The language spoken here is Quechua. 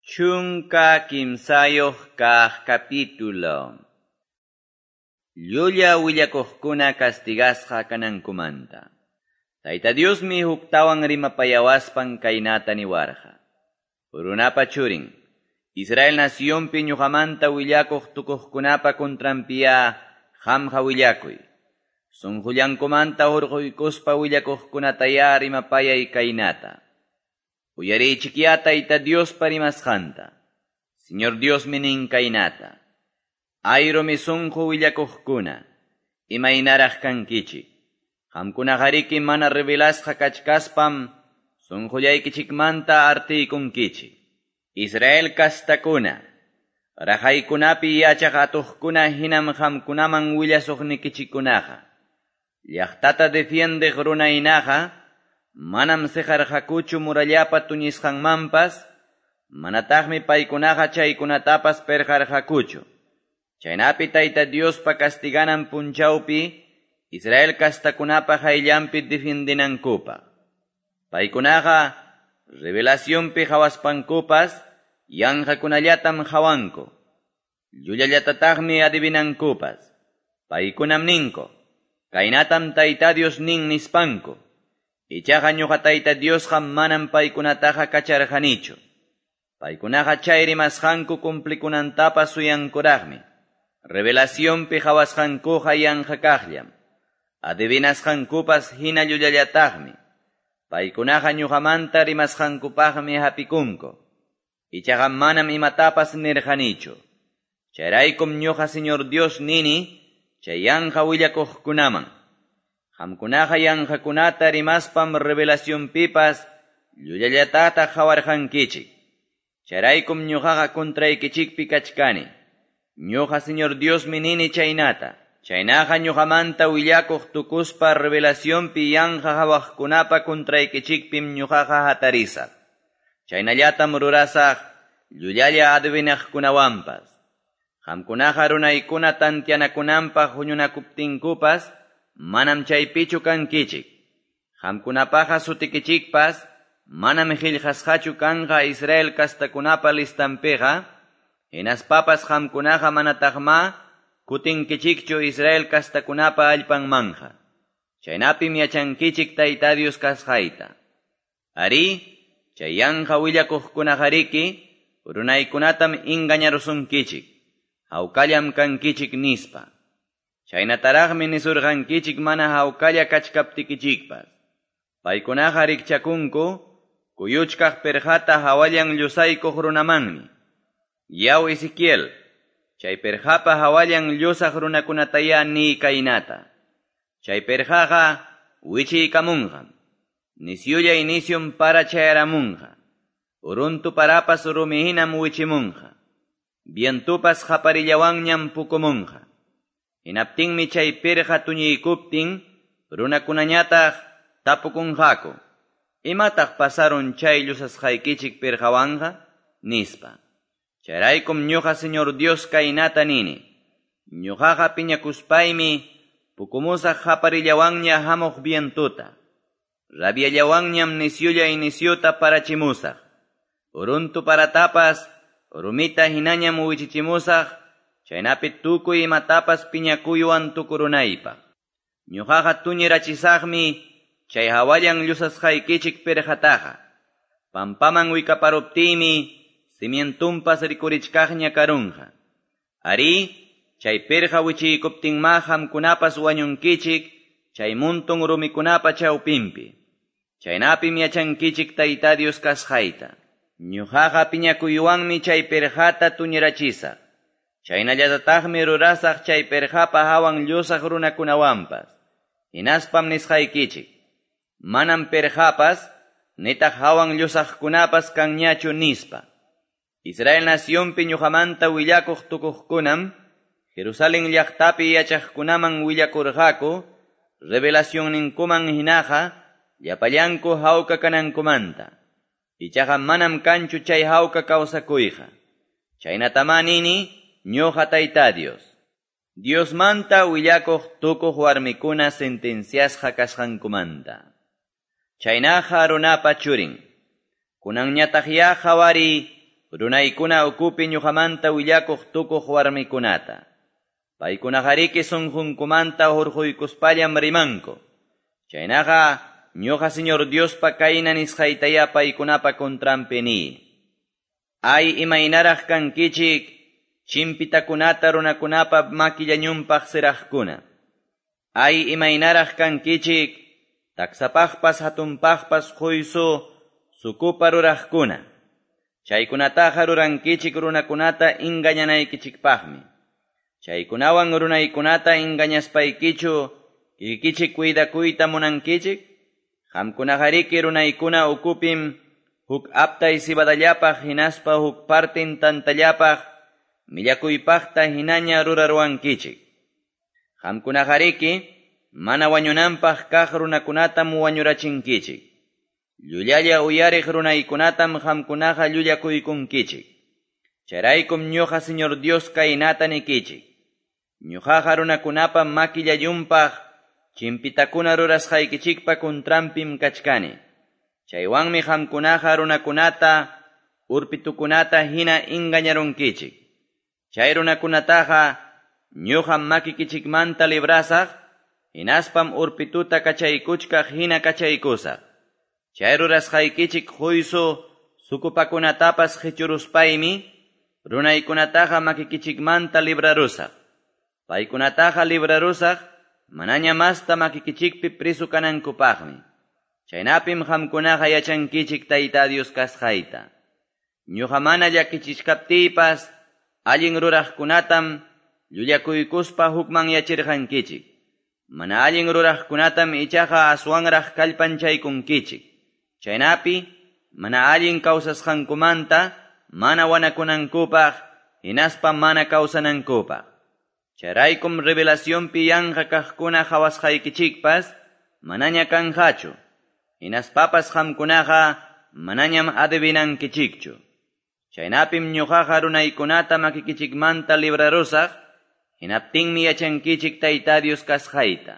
13 kaq capítulo. Llulla willakuqkuna castigasqa kanankumanta. Tayta Diosmi huktawan rimapayawaspan kaynata niwarqa. Runapa churin, Israel nacionpi ñuqamanta willakuq tukuqkunapa contranpiya qamqa willakuy. Sunqullankumanta hurquykuspa willakuqkunataya rimapayay kaynata. Uyariychikyá Tayta Diospa rimasqanta. Señor Diosmi nin kaynata. Ay rumi sunqu willakuqkuna, imaynaraq kankichik. Qamkunaqariki mana revelasqa kachkaspam sunqullaykichikmanta artiykunkichik. Israel kastakuna, raqaykunapi yachaq atuqkuna hinam qamkunaman willasuqnikichikkunaqa. Llaqtata defiendeq runaynaqa, manam siqarqakuchu murallapa tuñisqanmanpas, manataqmi paykunaqa chaykunatapas perqarqakuchu. Chaynapi Tayta Diospa castiganan punchawpi, Israel kastakunapa hayllanpi defiendinankupaq. Paykunaqa revelacionpi hawaspankupas, yanqakunallatam hawanku. Llullallatataqmi adivinankupas. Paykunam ninku, kaynatam Tayta Dios nin nispanku. Ichaqa ñuqa Tayta Diosqa manam paykunataqa kacharqanichu. Paykunaqa chay rimasqanku cumplikunantapas suyankuraqmi. Revelacionpi hawasqankuqa yanqa kaqllam. Adivinasqankupas hina llullallataqmi. Paykunaqa ñuqamanta rimasqankupaqmi hapikunku. Ichaqa manam imatapas nirqanichu. Chayraykum ñuqa Señor Dios nini, chay yanqa willakuqkunaman. Qamkunaqa yanqakunata rimaspam revelacionpipas llullallatata hawarqankichik. Chayraykum ñuqaqa contraykichikpi kachkani. Ñuqa Señor Diosmi nini chaynata. Chaynaqa ñuqamanta willakuq tukuspa revelacionpi yanqa hawaqkunapa contraykichikpim ñuqaqa hatarisaq. Chaynallatam rurasaq llullalla adivinaqkunawanpas. Qamkunaqa runaykuna tantianakunanpaq huñunakuptinkupas manam chaypichu kankichik. Qamkunapaqa sutikichikpas manam qillqasqachu kanqa Israel kastakunapa listampiqa, hinaspapas qamkunaqa manataqma kutinkichikchu Israel kastakunapa allpanmanja. Chaynapim yachankichik Tayta Dios kasqayta. Ari, chay yanqa willakuqkunaqariki, runaykunatam engañarusunkichik, hawkallam kankichik nispa. Chaynataraqmi nisurqankichik mana hawkalla kachkaptikichikpas. Paykunaqa rikchakunku, kuyuchkaq perqata hawallan llusaykuq runamanmi. Yaw Ezequiel, chay perqapa hawallan llusaq runakunataya ni kaynata. Chay perqaqa wichiykamunqam. Nisyulla inisyum para chayaramunqa. Uruntu parapas rumihinam wichimunqa. Vientupas qaparillawanñam pukumunqa. Hinaptinmi chay pirqa tuñiykuptin, runakunañataq tapukunqaku. Imataq pasarun chay llusasqaykichik pirqawanqa? Nispa. Chayraykum ñuqa Señor Dios kaynata nini. Ñuqaqa piñakuspaymi pukumusaq qaparillawanña hamuq vientuta. Rabiallawanñam nisyulla inisyuta parachimusaq. Uruntu paratapas rumita hinañam wichichimusaq, chaynapi tukuy imatapas piñakuywan tukurunaypaq. Ñuqaqa tuñirachisaqmi chay hawallan llusasqaykichik pirqataqa. Pampaman wikaparuptiymi cimientumpas rikurichkaqña karunqa. Ari, chay pirqa wichiykuptinma qamkunapas wañunkichik chay muntun rumikunapa chawpinpi. Chaynapim yachankichik Tayta Dios kasqayta. Ñuqaqa piñakuywanmi chay pirqata tuñirachisaq. Chaynallatataqmi rurasaq chay pirqapa hawan llusaq runakunawanpas. Hinaspam nisqaykichik. Manam pirqapas, nitaq hawan llusaqkunapas kanñachu nispa. Israel nacionpi ñuqamanta willakuq tukuqkunam, Jerusalén llaqtapi yachaqkunaman willakurqaku, revelacionninkuman hinaqa, llapallanku hawka kanankumanta. Ichaqa manam kanchu chay hawka kawsakuyqa. Chaynatamá nini, ñuqa Tayta Dios. Diosmanta willakuq tukuq warmikuna sentenciasqa kasqankumanta. Chaynaqa runapa churin. Kunanñataqya qhawari Runaykuna ukupi ñuqamanta willakuq tukuq warmikunata. Paykunaqariki sunqunkumanta hurquykuspallam rimanku. Chaynaqa ñuqa Señor Diospa kayna nisqaytayá paykunapa contranpi niy. Ay imaynaraq kankichik chimpitakunata runakunapa makillañunpaq siraqkuna. Ay imaynaraq kankichik taksapaqpas hatunpaqpas quysu sukupa ruraqkuna. Chaykunataqa rurankichik runakunata engañanaykichikpaqmi. Chaykunawan runaykunata engañaspaykichu kikichik cuidakuyta munankichik? Qamkunaqariki runaykuna ukupim huk aptay cebadallapaq hinaspa huk partin tantallapaq millakuypaqta hinaña ruraruwankichik. Qamkunaqariki mana wañunanpaq kaq runakunatam wañurachinkichik. Llullalla uyariq runaykunatam qamkunaqa llullakuykunkichik. Chayraykum ñuqa Señor Dios kaynata nikichik. Ñuqaqa runakunapa makillayunpaq chimpitakuna rurasqaykichikpa contranpim kachkani. Chaywanmi qamkunaqa runakunata urpitukunata hina engañarunkichik. Chay runakunataqa ñuqam makikichikmanta librasaq, hinaspam urpituta kachaykuchkaq hina kachaykusaq. Chay rurasqaykichik quysu sukupakunatapas qichuruspaymi, runaykunataqa makikichikmanta librarusaq. Paykunataqa librarusaq, manaña masta makikichikpi prisu kanankupaqmi. Chaynapim qamkunaqa yachankichik Tayta Dios kasqayta. Ñuqa mana llakichichkaptiypas, allin ruraqkunatam llullakuykuspa hukmanyachirqankichik. Mana allin ruraqkunatam ichaqa aswanraq kallpanchaykunkichik. Chaynapi mana allin kawsasqankumanta mana wanakunankupaq hinaspa mana kawsanankupaq. Chayraykum revelacionpi yanqa kaqkuna qhawasqaykichikpas manaña kanqachu. Hinaspapas qamkunaqa manañam adivinankichikchu. Chaynapim ñuqaqa runaykunata makikichikmanta librarusaq, hinaptinmi yachankichik Tayta Dios kasqayta.